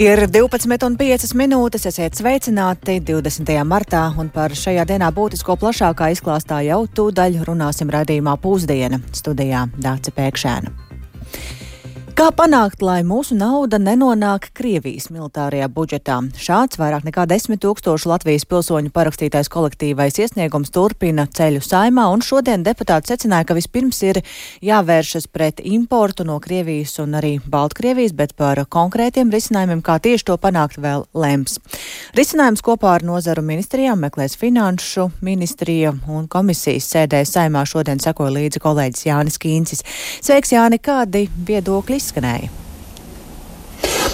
Ir 12,05, esiet sveicināti 20. martā, un par šajā dienā būtisko plašākā izklāstā jau tūdaļ runāsim raidījumā Pūzdiena, studijā Dāce Pēkšēna. Kā panākt, lai mūsu nauda nenonāk Krievijas militārajā budžetā? Šāds vairāk nekā 10 000 Latvijas pilsoņu parakstītais kolektīvais iesniegums turpina ceļu Saeimā, un šodien deputāti secināja, ka vispirms ir jāvēršas pret importu no Krievijas un arī Baltkrievijas, bet par konkrētiem risinājumiem, kā tieši to panākt, vēl lems. Risinājums kopā ar nozaru ministrijām meklēs Finanšu ministrija, un komisijas sēdē Saeimā šodien sekoja līdzi kolēģis Jānis Kīncis. Sveiks, Jāni, kādi viedokļi izskanēja?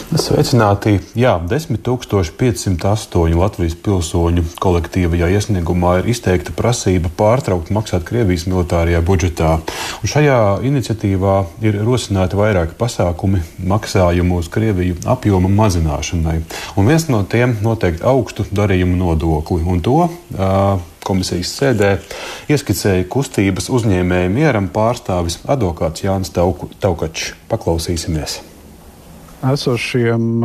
Sveicināti. Jā, 10 508 Latvijas pilsoņu kolektīvajā iesniegumā ir izteikta prasība pārtraukt maksāt Krievijas militārajā budžetā. Un šajā iniciatīvā ir rosināti vairāki pasākumi maksājumu uz Krieviju apjoma mazināšanai. Un viens no tiem noteikti augstu darījumu nodokli. Un to komisijas sēdē ieskicēja kustības uzņēmēju mieram pārstāvis advokāts Jānis Taukačs. Paklausīsimies. Esošiem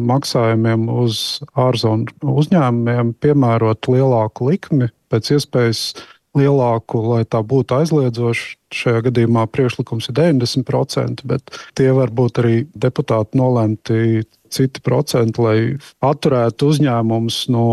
maksājumiem uz ārzonu uzņēmumiem piemērot lielāku likmi, pēc iespējas lielāku, lai tā būtu aizliedzoša. Šajā gadījumā priekšlikums ir 90%, bet tie var būt arī deputāti nolēmti citi procenti, lai atturētu uzņēmumus no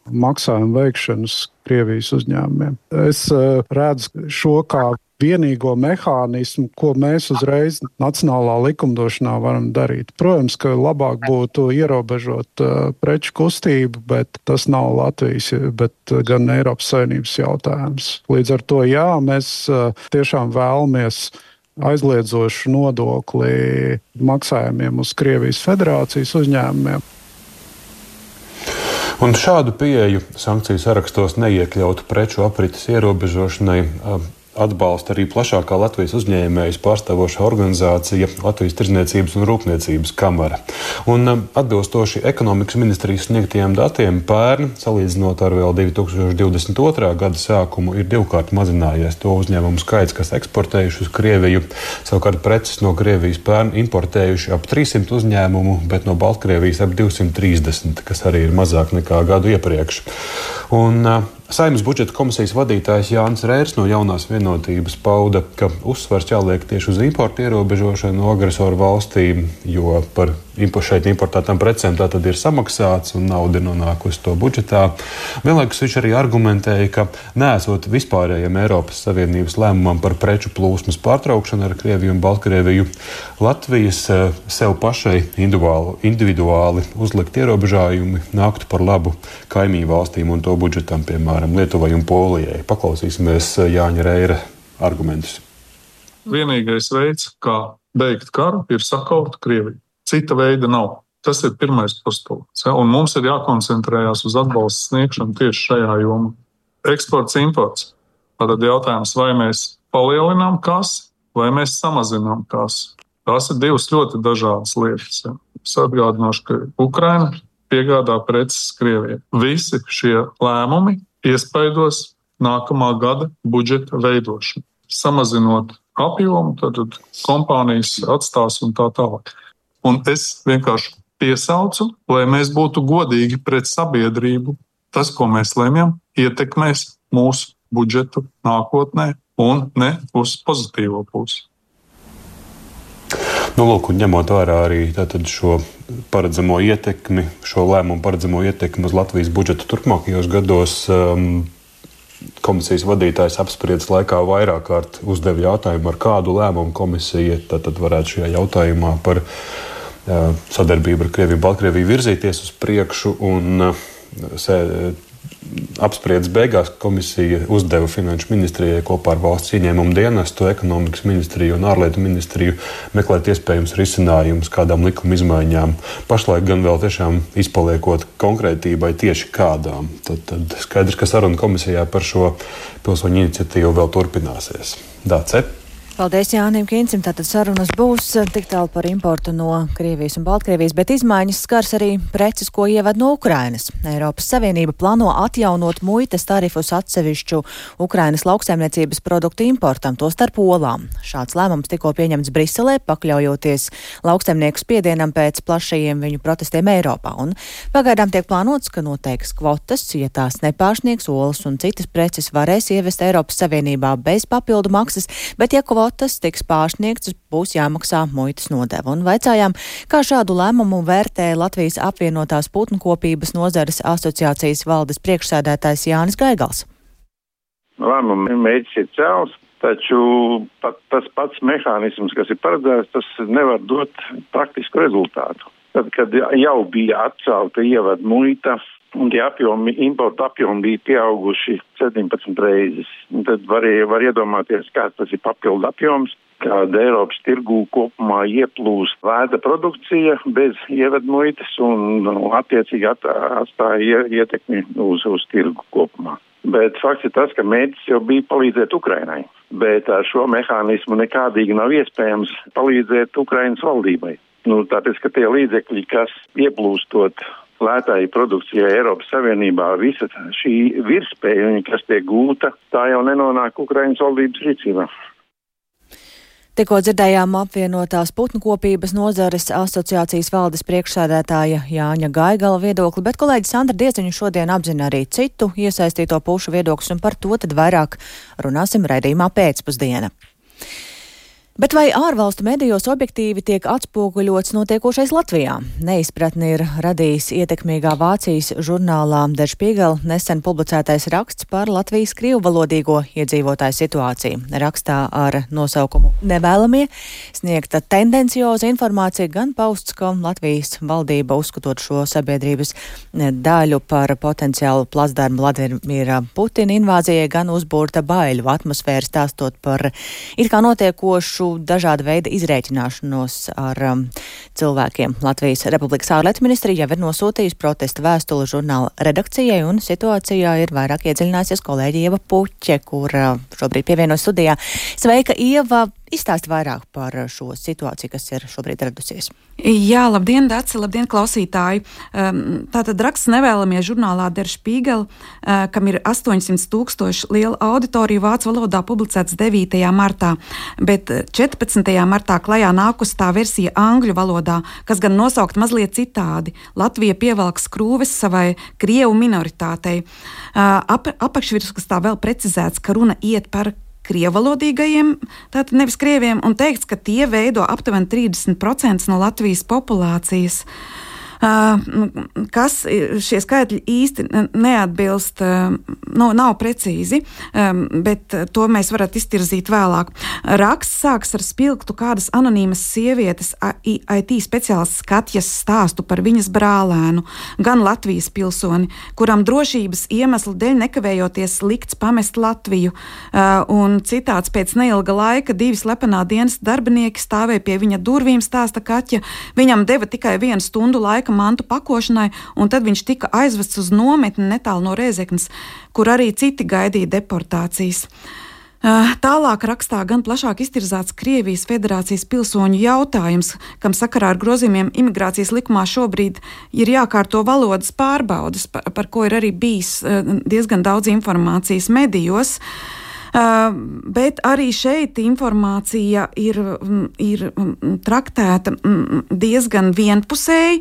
maksājuma veikšanas Krievijas uzņēmumiem. Es redzu šo kā vienīgo mehānismu, ko mēs uzreiz nacionālā likumdošanā varam darīt. Protams, ka labāk būtu ierobežot preču kustību, bet tas nav Latvijas, bet gan Eiropas Savienības jautājums. Līdz ar to, jā, mēs tiešām vēlamies aizliedzošu nodokli maksājumiem uz Krievijas Federācijas uzņēmumiem. Un šādu pieeju sankciju sarakstos neiekļautu preču aprites ierobežošanai atbalsta arī plašākā Latvijas uzņēmējus pārstāvošā organizācija Latvijas Tirdzniecības un Rūpniecības kamara. Un atbilstoši ekonomikas ministrijas sniegtajiem datiem pērn, salīdzinot ar vēl 2022. Gada sākumu, ir divkārt mazinājies to uzņēmumu skaits, kas eksportējuši uz Krieviju. Savukārt preces no Krievijas pērn importējuši ap 300 uzņēmumu, bet no Baltkrievijas ap 230, kas arī ir mazāk nekā gadu iepriekš. Un Saeimas budžeta komisijas vadītājs Jānis Reirs no Jaunās vienotības pauda, ka uzsvars jāliek tieši uz importu ierobežošanu no agresoru valstīm, jo par šeit importētām precēm tā tad ir samaksāts un nauda ir nonākusi to budžetā. Vienlaikus viņš arī argumentēja, ka neesot vispārējiem Eiropas Savienības lēmumam par preču plūsmas pārtraukšanu ar Krieviju un Baltkrieviju, Latvijas sev pašai individuāli uzlikt ierobežājumi nāktu par labu kaimiņu valstīm un to budžetam, piemēram, Lietuvai un Polijai. Paklausīsimies Jāņa Reira argumentus. Vienīgais veids, kā beigt karu, ir sakaut Krieviju. Cita veida nav. Tas ir pirmais postulāts. Un mums ir jākoncentrējās uz atbalsta sniegšanu tieši šajā jomā. Eksports, imports. Tad jautājums, vai mēs palielinām kasi, vai mēs samazinām kasi. Tās ir divas ļoti dažādas lietas. Es atgādināšu, ka Ukraina piegādā preces Krievijai. Visi šie lēmumi iespaidos nākamā gada budžeta veidošanu. Samazinot apjomu, tad kompānijas atstās un tā tālāk. Un es vienkārši piesaucu, lai mēs būtu godīgi pret sabiedrību. Tas, ko mēs lemjam, ietekmēs mūsu budžetu nākotnē un ne uz pozitīvo pusi. Lūk, un ņemot vērā arī šo paredzamo ietekmi, šo lēmumu paredzamo ietekmi uz Latvijas budžetu turpmākajos gados, komisijas vadītājs apspriedes laikā vairāk kārt uzdeva jautājumu, ar kādu lēmumu komisija tad varētu šajā jautājumā par sadarbību ar Krieviju un Baltkrieviju virzīties uz priekšu, un apspriedes beigās komisija uzdeva Finanšu ministrijai kopā ar valsts ieņēmumu dienestu, ekonomikas ministriju un ārlietu ministriju meklēt iespējams risinājumus kādām likuma izmaiņām. Pašlaik gan vēl tiešām izpaliekot konkrētībai tieši kādām. Tad skaidrs, ka saruna komisijā par šo pilsoņu iniciatīvu vēl turpināsies. Dāce? Paldies Jānim Kīncim. Tātad sarunas būs tik tālu par importu no Krievijas un Baltkrievijas, bet izmaiņas skars arī preces, ko ieved no Ukrainas. Eiropas Savienība plāno atjaunot muitas tarifus atsevišķu Ukrainas lauksaimniecības produktu importam, to starp olām. Šāds lēmums tikko pieņemts Briselē, pakļaujoties lauksaimnieku spiedienam pēc plašajiem viņu protestiem Eiropā. Un pagaidām tiek plānots, ka noteiks kvotas, ja tās nepārsniegs, olas un citas preces varēs ievest Eiropas Savienībā bez papildu maksas, bet ja kvotas tiks pārsniegts, būs jāmaksā muitas nodeva. Un vaicājām, kā šādu lēmumu vērtē Latvijas apvienotās putnkopības nozares asociācijas valdes priekšsēdētājs Jānis Gaigals. Lēmuma mērķis ir cēls, taču tas pats mehānisms, kas ir paredzēts, tas nevar dot praktisku rezultātu. Tad, kad jau bija atcelta ievada muita, un tie importa apjomi bija pieauguši 17 reizes. Tad var iedomāties, kāds tas ir papildu apjoms, kad Eiropas tirgū kopumā ieplūst lēta produkcija bez ievedmuitas un attiecīgi atstāja ietekmi uz tirgu kopumā. Bet fakts ir tas, ka mērķis jau bija palīdzēt Ukrainai, bet ar šo mehānismu nekādīgi nav iespējams palīdzēt Ukrainas valdībai. Tāpēc, ka tie līdzekļi, kas ieplūstot lētāji produkcijai Eiropas Savienībā, visa šī virspēja, kas tiek gūta, tā jau nenonāk Ukrainas valdības rīcībā. Tikko dzirdējām apvienotās putnkopības nozares asociācijas valdes priekšsēdētāja Jāņa Gaigala viedokli, bet kolēģis Sandra Dieciņa šodien apzina arī citu iesaistīto pušu viedokļus, un par to tad vairāk runāsim raidījumā pēcpusdiena. Bet vai ārvalstu medijos objektīvi tiek atspoguļots notiekošais Latvijā? Neizpratni ir radījis ietekmīgā Vācijas žurnālā Der Spiegel nesen publicētais raksts par Latvijas krievvalodīgo iedzīvotāju situāciju. Rakstā ar nosaukumu Nevēlamie sniegta tendencioza informācija, gan pausts, ka Latvijas valdība uzskatot šo sabiedrības daļu par potenciālu placdarmu Vladimira Putina invāzijai, gan uzbūrta baiļu atmosfēru, stāstot par it kā notiekošu dažāda veida izrēķināšanos ar cilvēkiem. Latvijas Republikas ārlietu ministrija jau ir nosūtījusi protesta vēstuli žurnāla redakcijai, un situācijā ir vairāk iedziļinājusies kolēģi Ieva Puķe, kur šobrīd pievienojas studijā. Sveika, Ieva! Izstāsti vairāk par šo situāciju, kas ir šobrīd radusies. Jā, labdien, Daci, labdien, klausītāji. Tātad raksts Nevēlamie žurnālā Der Spiegel, kam ir 800,000 liela auditorija vācu valodā, publicēts 9. martā, bet 14. martā klajā nākus tā versija angļu valodā, kas gan nosaukt mazliet citādi. Latvija pievelk skrūves savai krievu minoritātei. Apakšvirskastā vēl precizēts, ka runa iet par krievalodīgajiem, tātad nevis krieviem, un teikts, ka tie veido aptuveni 30% no Latvijas populācijas. Kas šie skaitļi īsti neatbilst, nav precīzi, bet to mēs varat iztirzīt vēlāk. Raksts sāks ar spilgtu kādas anonīmas sievietes IT speciālists Katjas stāstu par viņas brālēnu, gan Latvijas pilsoni, kuram drošības iemeslu dēļ nekavējoties likts pamest Latviju, un citāts pēc neilga laika 2 slepenā dienas darbinieki stāvēja pie viņa durvīm, stāsta Katja, viņam deva tikai 1 stundu laika mantu pakošanai, un tad viņš tika aizvests uz nometni netālu no Rēzeknes, kur arī citi gaidīja deportācijas. Tālāk rakstā gan plašāk iztirzāts Krievijas Federācijas pilsoņu jautājums, kam sakarā ar grozījumiem imigrācijas likumā šobrīd ir jākārto valodas pārbaudes, par ko ir arī bijis diezgan daudz informācijas medijos. Bet arī šeit informācija ir traktēta diezgan vienpusēji.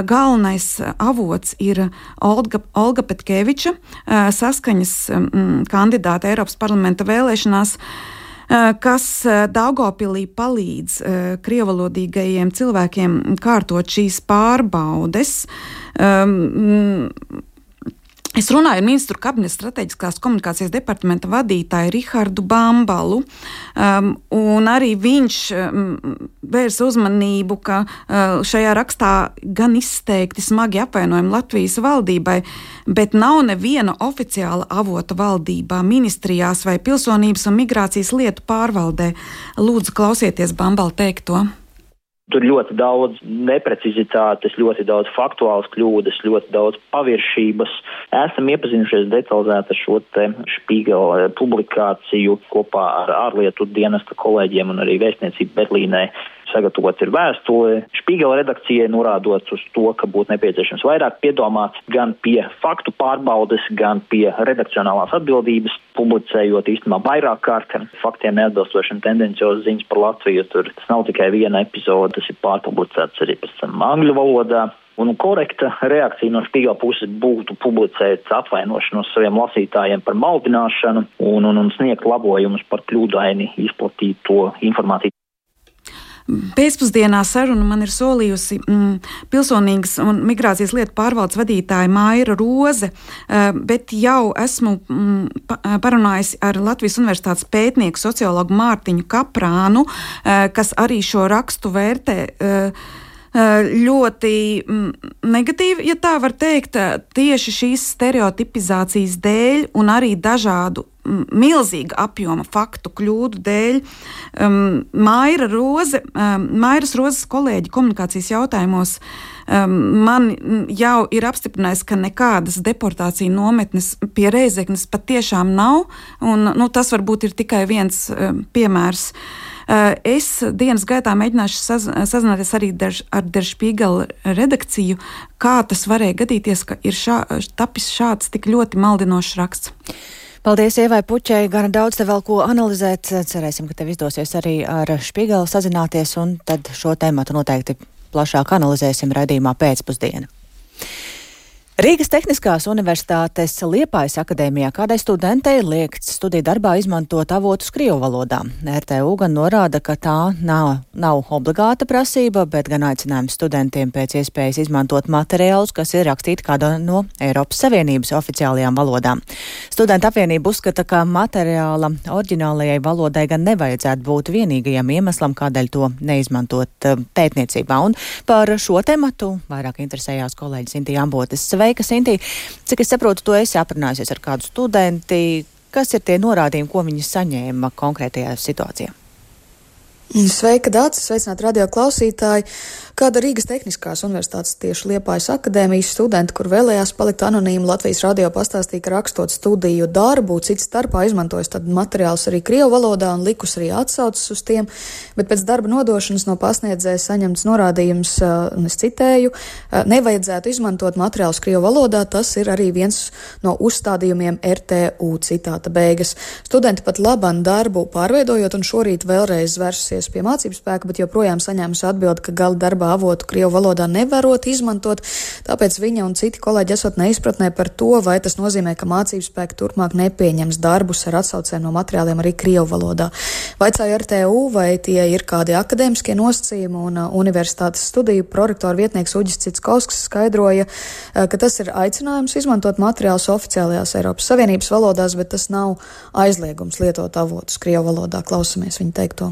Galvenais avots ir Olga Petkeviča, saskaņas kandidāte Eiropas parlamenta vēlēšanās, kas Daugavpilī palīdz krievalodīgajiem cilvēkiem kārtot šīs pārbaudes. Es runāju ar ministru kabineta strateģiskās komunikācijas departamenta vadītāju Rihardu Bambalu, un arī viņš vērsa uzmanību, ka šajā rakstā gan izteikti smagi apvainojumi Latvijas valdībai, bet nav neviena oficiāla avota valdībā, ministrijās vai pilsonības un migrācijas lietu pārvaldē. Lūdzu, klausieties Bambalu teikto. Tur ļoti daudz neprecizitātes, ļoti daudz faktuālas kļūdas, ļoti daudz paviršības. Esam iepazinušies detalizēti ar šo te Špīgela publikāciju kopā ar ārlietu dienesta kolēģiem un arī vēstniecību Berlīnē. Sagatavots ir vēstule Špīgela redakcijai, norādot uz to, ka būtu nepieciešams vairāk piedomāt gan pie faktu pārbaudes, gan pie redakcionālās atbildības, publicējot īstenībā vairāk kārt faktiem neatbilstošiem tendenciozas ziņas par Latviju. Tur tas nav tikai viena epizode, tas ir pārpublicēts arī pēc tam angļu valodā. Un korekta reakcija no Špīgela puses būtu publicēt atvainošanos saviem lasītājiem par maldināšanu un sniegt labojumus par kļūdaini izplatīto informāciju. Pēcpusdienā sarunu man ir solījusi pilsonīgas un migrācijas lietu pārvaldes vadītāja Maira Roze, bet jau esmu parunājusi ar Latvijas Universitātes pētnieku sociologu Mārtiņu Kaprānu, kas arī šo rakstu vērtē ļoti negatīvi, ja tā var teikt, tieši šīs stereotipizācijas dēļ un arī dažādu milzīga apjoma faktu kļūdu dēļ. Mairas Rozes kolēģi komunikācijas jautājumos man jau ir apstiprinājis, ka nekādas deportācija nometnes pie Reizeknes patiešām nav, un tas varbūt ir tikai viens piemērs. Es dienas gaitā mēģināšu sazināties arī ar Der Spiegel redakciju, kā tas varēja gadīties, ka ir tapis šāds tik ļoti maldinošs raksts. Paldies Ievai Puķei, gan daudz te vēl ko analizēt. Cerēsim, ka tev izdosies arī ar Špīgelu sazināties, un tad šo tēmatu noteikti plašāk analizēsim raidījumā pēcpusdiena. Rīgas Tehniskās universitātes Liepājas akadēmijā kādai studentei liegts studiju darbā izmantot avotus krievu valodā. RTU gan norāda, ka tā nav obligāta prasība, bet gan aicinājums studentiem pēc iespējas izmantot materiālus, kas ir rakstīti kādā no Eiropas Savienības oficiālajām valodām. Studenta apvienība uzskata, ka materiāla oriģinālajai valodai gan nevajadzētu būt vienīgajam iemeslam, kādēļ to neizmantot pētniecībā. Un par šo tematu vairāk interesējās kolēģis Sintīja Ambotes. Sveika, Sinti! Cik es saprotu, to esi aprunājusies ar kādu studenti. Kas ir tie norādījumi, ko viņi saņēma konkrētajā situācijā? Sveika, Dācis! Sveicināt radio klausītāji! Kāda Rīgas Tehniskās universitātes tieši Liepājas akadēmijas studenti, kur vēlējās palikt anonīmi, Latvijas radio pastāstīja, ka rakstot studiju darbu, cits starpā izmantojas tad materiālus arī krievu valodā un likus arī atsaucas uz tiem, bet pēc darba nodošanas no pasniedzēja saņemts norādījums, un es citēju, nevajadzētu izmantot materiālus krievu valodā, tas ir arī viens no uzstādījumiem RTU, citāta beigas. Studenti pat laban darbu pārveidojot un šorīt vēlreiz vērsusies pie mācību spēka, bet joprojām saņēmusi atbildi, ka gala darbā avotu krievu valodā nevarot izmantot, tāpēc viņa un citi kolēģi esot neizpratnē par to, vai tas nozīmē, ka mācību spēki turpmāk nepieņems darbus ar atsaucēm no materiāliem arī krievu valodā. Vaicāju RTU, vai tie ir kādi akadēmiskie nosacījumi, un universitātes studiju prorektora vietnieks Uģis Citskovskis skaidroja, ka tas ir aicinājums izmantot materiālus oficiālajās Eiropas Savienības valodās, bet tas nav aizliegums lietot avotus krievu valodā. Klausamies viņa teikto.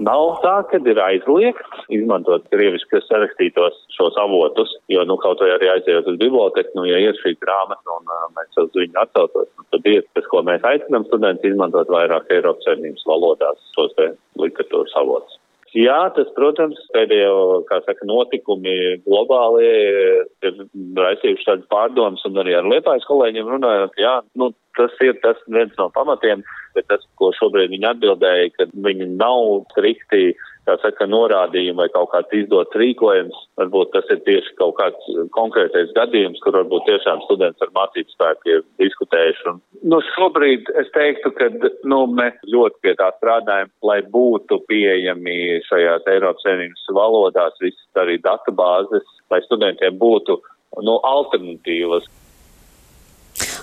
Nav tā, ka ir aizliegts izmantot krieviski sarakstītos šos avotus, jo, kaut vai arī aizējot uz biblioteku, ja ir šī grāmata un mēs uz viņu atsaucos, tad ir tas, ko mēs aicinām studenti izmantot vairāk Eiropas Savienības valodās šos te literatūras avotus. Jā, tas, protams, pēdējo, notikumi globāli ir raisījuši tādas pārdomas, un arī ar Liepājas kolēģiem runājot, tas ir tas viens no pamatiem, bet tas, ko šobrīd viņi atbildēja, ka viņi nav strikti, norādījumi vai kaut kāds izdots rīkojums, varbūt tas ir tieši kaut kāds konkrētais gadījums, kur varbūt tiešām students ar mācību spēku ir diskutējuši. Šobrīd es teiktu, ka mēs ļoti pie tā strādājam, lai būtu pieejami šajās Eiropas Savienības valodās visas arī datubāzes, lai studentiem būtu alternatīvas.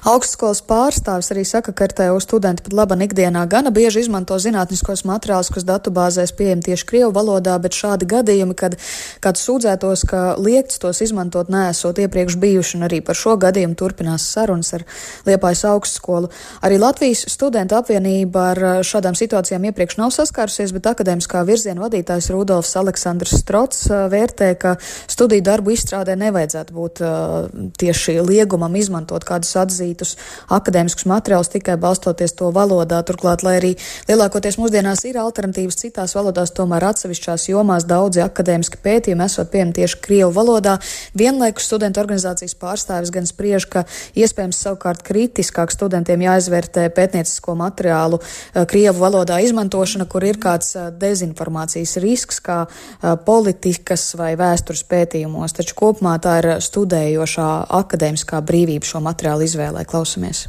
Augstskolas pārstāvis arī saka, ka RTU studenti pat laban ikdienā gana bieži izmanto zinātniskos materiālus, kas datubāzēs pieejami tieši krievu valodā, bet šādi gadījumi, kad kāds sūdzētos, ka liegts tos izmantot neesot iepriekš bijuši, un arī par šo gadījumu turpinās sarunas ar Liepājas augstskolu. Arī Latvijas studentu apvienība ar šādām situācijām iepriekš nav saskārusies, bet akadēmiskā virziena vadītājs Rudolfs Aleksandrs Strots vērtē, ka studiju darbu izstrādē nevajadzētu būt tieši liegumam izmantot kādus atzīmes izlasītus akadēmiskus materiālus tikai balstoties to valodā. Turklāt, lai arī lielākoties mūsdienās ir alternatīvas citās valodās, tomēr atsevišķās jomās daudzi akadēmiski pētījumi esot pieejami tieši krievu valodā. Vienlaikus studentu organizācijas pārstāvis gan spriež, ka iespējams savukārt kritiskāk studentiem jāizvērtē pētniecisko materiālu krievu valodā izmantošana, kur ir kāds dezinformācijas risks, kā politikas vai vēstures pētījumos. Taču kopumā tā ir studējošā akadēmiskā brīvība šo materiālu izvēlē. Klausamies.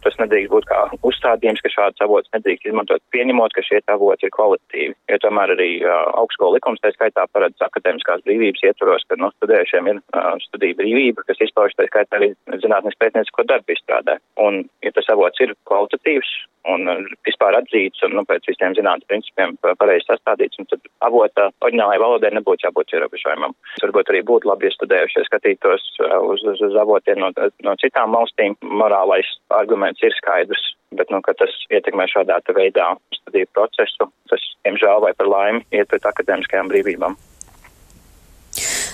Tas nedrīkst būt kā uzstādījums, ka šāds avots nedrīkst izmantot, pieņemot, ka šie avoti ir kvalitatīvi. Jo tomēr arī augstskolu likums tā skaitā paredz akadēmiskās brīvības ietvaros, ka studējušiem ir studiju brīvība, kas izpauž tā skaitā arī zinātnes pētniecisko darbu izstrādē. Un, ja tas avots ir kvalitatīvs un vispār atzīts un pēc visiem zinātnes principiem pareizi sastādīts, un tad avota oriģinālajai valodai nebūtu jābūt ierobežojumam. Varbūt arī būtu labi, ja studējušie skatītos uz avotiem no citām valstīm. Morālais arguments ir skaidrs, bet, ka tas ietekmē šādā veidā studiju procesu, tas, diemžēl vai par laimi, iet pret akadēmiskajām brīvībām.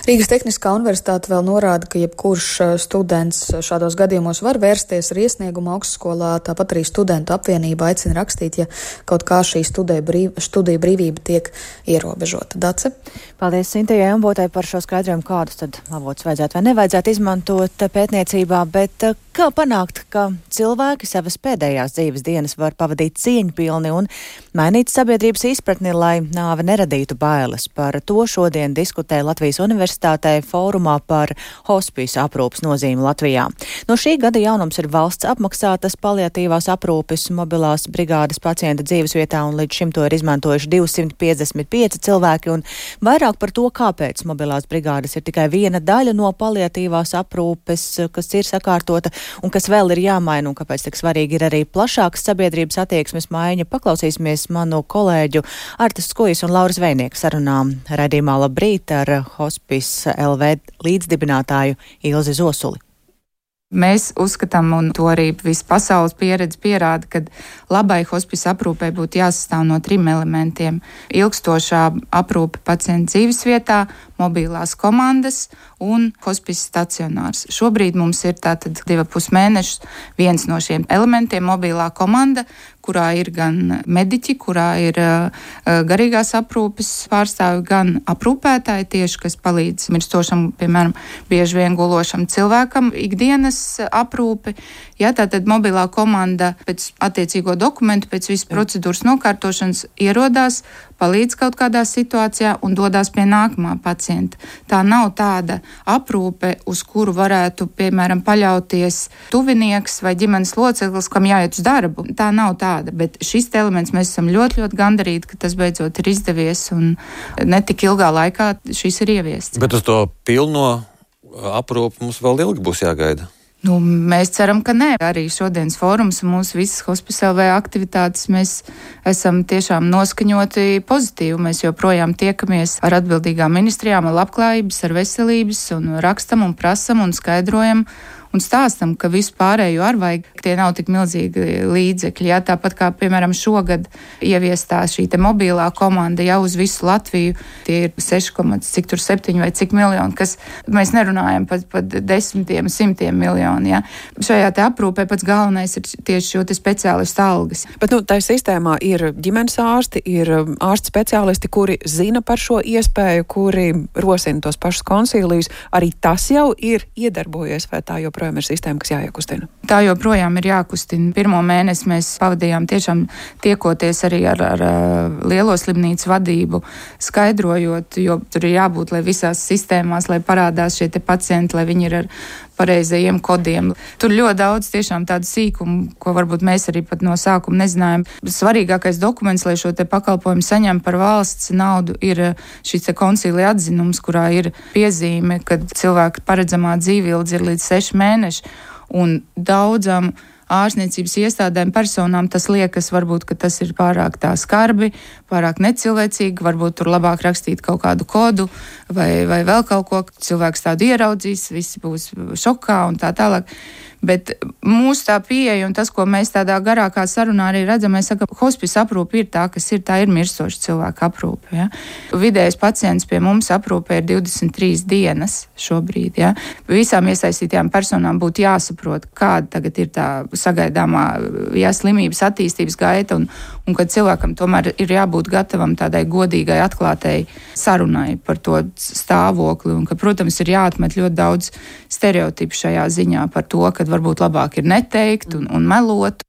Rīgas Tehniskā universitāte vēl norāda, ka jebkurš students šādos gadījumos var vērsties ar iesniegumu augstskolā, tāpat arī studentu apvienība aicina rakstīt, ja kaut kā šī studiju brīvība tiek ierobežota. Dace? Paldies Sintejai Ambotai par šo skaidrojumu, kādus tad avotus vajadzētu vai nevajadzētu izmantot pētniecībā, bet kā panākt, ka cilvēki savas pēdējās dzīves dienas var pavadīt cieņpilni un mainīt sabiedrības izpratni, lai nāve neradītu bailes. Par to šodien diskutē Latvijas Universitātē fórumā par hospisu aprūpes nozīmi Latvijā. No šī gada jaunums ir valsts apmaksātas paliatīvās aprūpes mobilās brigādes pacienta dzīvesvietā, un līdz šim to ir izmantojuši 255 cilvēki, un vairāk par to, kāpēc mobilās brigādes ir tikai viena daļa no paliatīvās aprūpes, kas ir sakārtota un kas vēl ir jāmaina, un kāpēc tik svarīgi ir arī plašāks sabiedrības attieksmes maiņa. Paklausīsimies manu kolēģu Artis Skujas un Lauras Vejnieku sarunām raidījumā Labrīt ar Hospice LV līdzdibinātāju Ilzi Zosuli. Mēs uzskatām, un to arī visa pasaules pieredze pierāda, ka labai hospice aprūpē būtu jāsastāv no 3 elementiem - ilgstošā aprūpe pacienta dzīvesvietā, mobilās komandas un hospice stacionārs. Šobrīd mums ir tātad 2,5 mēnešus viens no šiem elementiem - mobilā komanda, kurā ir gan mediķi, kurā ir garīgās aprūpes pārstāvi, gan aprūpētāji tieši, kas palīdz mirstošam, piemēram, bieži vien gulošam cilvēkam ikdienas aprūpi. Ja, tātad mobilā komanda pēc attiecīgo dokumentu, pēc visas procedūras nokārtošanas ierodās, palīdz kaut kādā situācijā un dodās pie nākamā pacienta. Tā nav tāda aprūpe, uz kuru varētu, piemēram, paļauties tuvinieks vai ģimenes loceklis, kam jāiet uz darbu. Tā nav tāda, bet šis elements mēs esam ļoti, ļoti gandarīti, ka tas beidzot ir izdevies un netik ilgā laikā šis ir ieviests. Bet uz to pilno aprūpi mums vēl ilgi būs jāgaida. Mēs ceram, ka nē. Arī šodienas fórums un mūsu visas Hospice LV aktivitātes mēs esam tiešām noskaņoti pozitīvi. Mēs joprojām tiekamies ar atbildīgām ministrijām, ar labklājības, ar veselības un rakstam un prasam un skaidrojam un stāstam, ka visu pārējo arī vajag, tie nav tik milzīgi līdzekļi. Jā, tāpat kā, piemēram, šogad ieviestā šī te mobilā komanda jau uz visu Latviju, tie ir 6,7 vai cik miljoni, kas mēs nerunājam par desmitiem, simtiem miljoni. Jā. Šajā te aprūpē pats galvenais ir tieši šo te speciālistu algas. Bet, tā sistēmā ir ģimenes ārsti, ir ārsti speciālisti, kuri zina par šo iespēju, kuri rosina tos pašus konsīlijus. Arī tas jau ir iedarbojies, vai tā joprojām ir sistēma, kas jāiekustina? Tā joprojām ir jākustina. Pirmo mēnesi mēs pavadījām tiešām tiekoties arī ar lielo slimnīcu vadību, skaidrojot, jo tur ir jābūt, lai visās sistēmās, lai parādās šie te pacienti, lai viņi ir ar pareizajiem kodiem. Tur ļoti daudz tiešām tādu sīkumu, ko varbūt mēs arī pat no sākuma nezinājām. Svarīgākais dokuments, lai šo te pakalpojumu saņem par valsts naudu, ir šis te koncīlija atzinums, kurā ir piezīme, ka cilvēka paredzamā dzīvildze ir līdz 6 mēneši, un daudzam ārstniecības iestādēm personām tas liekas varbūt, ka tas ir pārāk tā skarbi, pārāk necilvēcīgi, varbūt tur labāk rakstīt kaut kādu kodu vai vēl kaut ko, cilvēks tādu ieraudzīs, visi būs šokā un tā tālāk. Bet mūsu tā pieeja un tas, ko mēs tādā garākā sarunā arī redzam, mēs sakam, hospice aprūpe ir tā, kas ir, tā ir mirstoša cilvēka aprūpe. Ja? Vidējais pacients pie mums aprūpē ir 23 dienas šobrīd. Ja? Visām iesaistītajām personām būtu jāsaprot, kāda tagad ir tā sagaidāmā slimības attīstības gaita un kad cilvēkam tomēr ir jābūt gatavam tādai godīgai, atklātai sarunai par to stāvokli un ka, protams, ir jāatmet ļoti daudz stereotipu šajā ziņā par to, ka varbūt labāk ir neteikt un melot.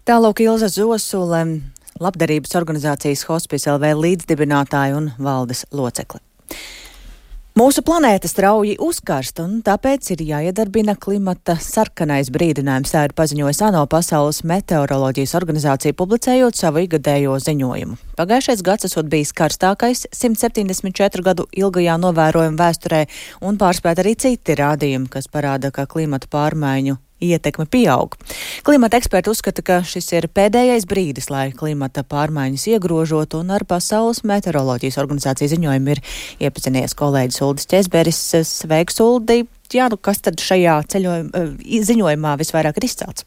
Tālāk Ilza Zosule, labdarības organizācijas Hospice LV līdzdibinātāja un valdes locekle. Mūsu planēta strauji uzkarst, un tāpēc ir jāiedarbina klimata sarkanais brīdinājums, tā ir paziņojis ANO Pasaules meteoroloģijas organizācija, publicējot savu ikgadējo ziņojumu. Pagājušais gads esot bijis karstākais 174 gadu ilgajā novērojuma vēsturē, un pārspēt arī citi rādījumi, kas parāda, ka klimata pārmaiņu ietekme pieaug. Klimata eksperti uzskata, ka šis ir pēdējais brīdis, lai klimata pārmaiņas iegrožotu, un ar Pasaules meteoroloģijas organizācijas ziņojumu ir iepazinies kolēģis Uldis Ķezberis. Sveiks, Uldi! Jā, kas tad šajā ziņojumā visvairāk ir izcelts?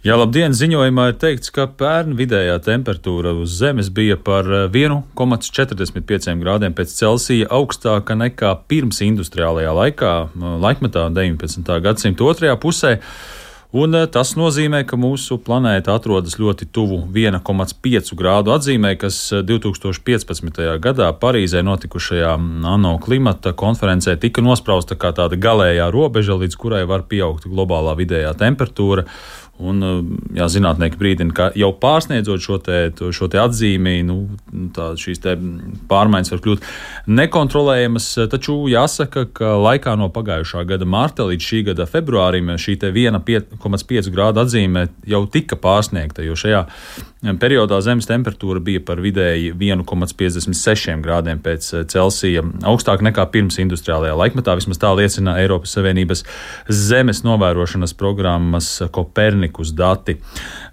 Jā, labdien! Ziņojumā ir teikts, ka pērn vidējā temperatūra uz Zemes bija par 1,45 grādiem pēc Celsija augstāka nekā pirms industriālajā laikmetā 19. gadsimta otrajā pusē. Un tas nozīmē, ka mūsu planēta atrodas ļoti tuvu 1,5 grādu atzīmē, kas 2015. gadā Parīzē notikušajā ANO klimata konferencē tika nosprausta kā tāda galējā robeža, līdz kurai var pieaugt globālā vidējā temperatūra. Un, jā, zinātnieki brīdina, ka jau pārsniedzot šo te atzīmi, šīs te pārmaiņas var kļūt nekontrolējamas, taču jāsaka, ka laikā no pagājušā gada marta līdz šī gada februārim šī te 1,5 grādu atzīme jau tika pārsniegta, jo šajā periodā Zemes temperatūra bija par vidēji 1,56 grādiem pēc Celsija augstāk nekā pirms industriālajā laikmetā, vismaz tā liecina Eiropas Savienības zemes novērošanas programmas Kopernikus dati.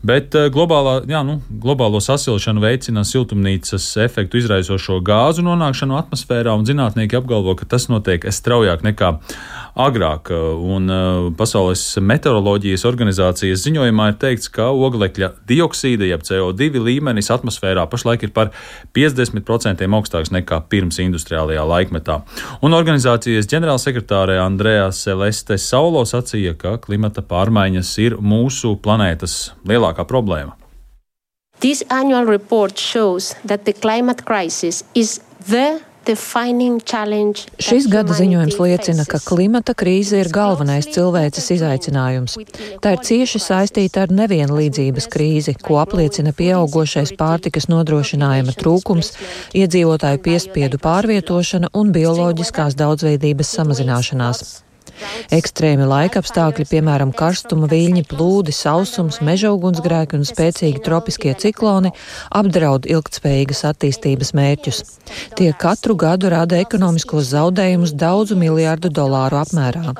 Bet globālo sasilšanu veicina siltumnīcas efektu izraisošo gāzu nonākšanu atmosfērā, un zinātnieki apgalvo, ka tas notiek straujāk nekā agrāk. Un Pasaules meteoroloģijas organizācijas ziņojumā ir teikts, ka oglekļa dioksīda, jeb CO2 līmenis atmosfērā pašlaik ir par 50% augstāks nekā pirms industriālajā laikmetā. Un organizācijas ģenerālsekretāre Andrea Celeste Saulo sacīja, ka klimata pārmaiņas ir mūsu planētas lielākā problēma. This annual report shows that the climate crisis is the Šis gada ziņojums liecina, ka klimata krīze ir galvenais cilvēces izaicinājums. Tā ir cieši saistīta ar nevienlīdzības krīzi, ko apliecina pieaugošais pārtikas nodrošinājuma trūkums, iedzīvotāju piespiedu pārvietošana un bioloģiskās daudzveidības samazināšanās. Ekstrēmi laikapstākļi, piemēram, karstuma viļņi, plūdi, sausums, meža ugunsgrēki un spēcīgi tropiskie cikloni apdraud ilgtspējīgas attīstības mērķus. Tie katru gadu rada ekonomiskos zaudējumus daudzu miljārdu dolāru apmērā.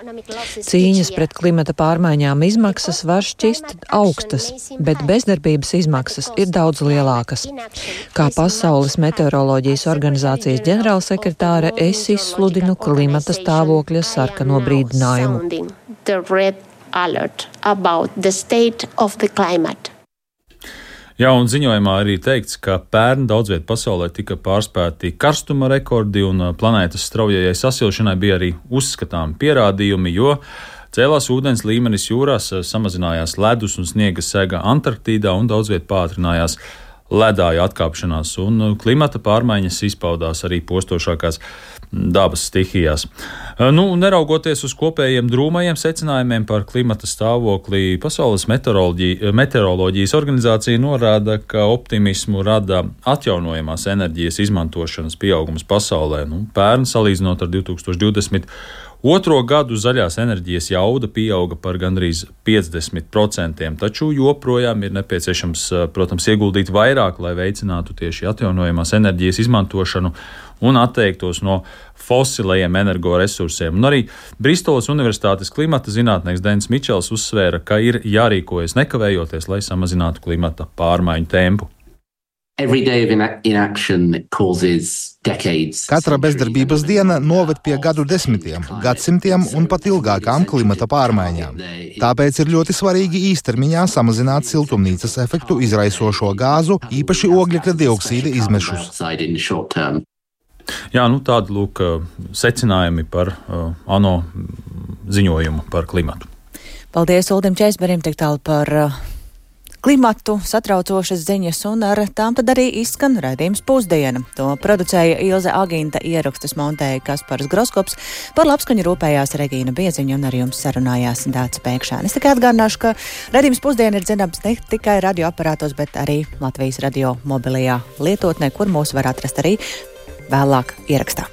Cīņas pret klimata pārmaiņām izmaksas var šķist augstas, bet bezdarbības izmaksas ir daudz lielākas. Kā Pasaules meteoroloģijas organizācijas ģenerālsekretāre, es izsludinu klimata stāvokļa sarkano brīdinājumu. Jā, un ziņojumā arī teikts, ka pērn daudzviet pasaulē tika pārspēti karstuma rekordi, un planētas straujajai sasilšanai bija arī uzskatāmi pierādījumi, jo cēlās ūdens līmenis jūrās, samazinājās ledus un sniega sega Antarktīdā un daudzviet pātrinājās ledāju atkāpšanās, un klimata pārmaiņas izpaudās arī postošākās dabas stihijās. Neraugoties uz kopējiem drūmajiem secinājumiem par klimata stāvokli, Pasaules meteoroloģijas organizācija norāda, ka optimismu rada atjaunojamās enerģijas izmantošanas pieaugums pasaulē. Pērn, salīdzinot ar 2020. Otro gadu zaļās enerģijas jauda pieauga par gandrīz 50%, taču joprojām ir nepieciešams, protams, ieguldīt vairāk, lai veicinātu tieši atjaunojamās enerģijas izmantošanu un atteiktos no fosilajiem energoresursiem. Un arī Bristolas Universitātes klimata zinātnieks Denis Mičels uzsvēra, ka ir jārīkojas nekavējoties, lai samazinātu klimata pārmaiņu tempu. Katra bezdarbības diena noved pie gadu desmitiem, gadsimtiem un pat ilgākām klimata pārmaiņām. Tāpēc ir ļoti svarīgi īstermiņā samazināt siltumnīcas efektu izraisošo gāzu, īpaši ogļekļa dioksīda izmešus. Jā, tādi lūk secinājumi par ANO ziņojumu par klimatu. Paldies Uldim Čeisberim tik tālu par klimatu, satraucošas ziņas, un ar tām tad arī izskan raidījums Pusdiena. To producēja Ilze Agīnta, ierakstus montēja Kaspars Groskops, par labskaņu rūpējās Regīna Bieziņa un ar jums sarunājās Dāca Pēkšēne. Es tikai atgādināšu, ka raidījums Pusdiena ir dzirdams ne tikai radioaparātos, bet arī Latvijas radio mobilajā lietotnē, kur mūs var atrast arī vēlāk ierakstā.